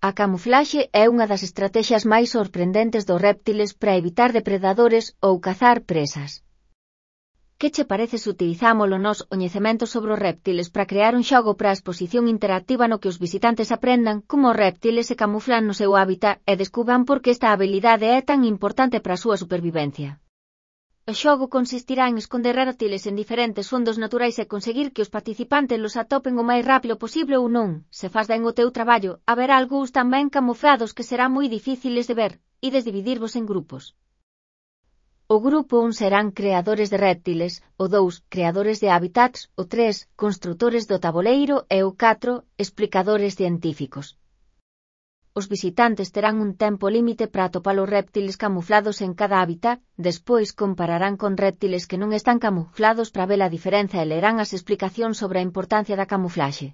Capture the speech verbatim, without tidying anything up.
A camuflaxe é unha das estratexias máis sorprendentes dos réptiles para evitar depredadores ou cazar presas. Que che parece se utilizamos o noso coñecemento sobre os réptiles para crear un xogo para a exposición interactiva no que os visitantes aprendan como os réptiles se camuflan no seu hábitat e descubran por que esta habilidade é tan importante para a súa supervivencia? O xogo consistirá en esconder réptiles en diferentes fondos naturais e conseguir que os participantes los atopen o máis rápido posible ou non. Se faz ben o teu traballo, haberá algúns tamén camuflados que serán moi difíciles de ver, ides dividirvos en grupos. O grupo un serán creadores de réptiles, o dous, creadores de hábitats, o tres, construtores do taboleiro e o catro, explicadores científicos. Os visitantes terán un tempo límite para atopar os réptiles camuflados en cada hábitat, despois compararán con réptiles que non están camuflados para ver a diferenza e lerán as explicacións sobre a importancia da camuflaxe.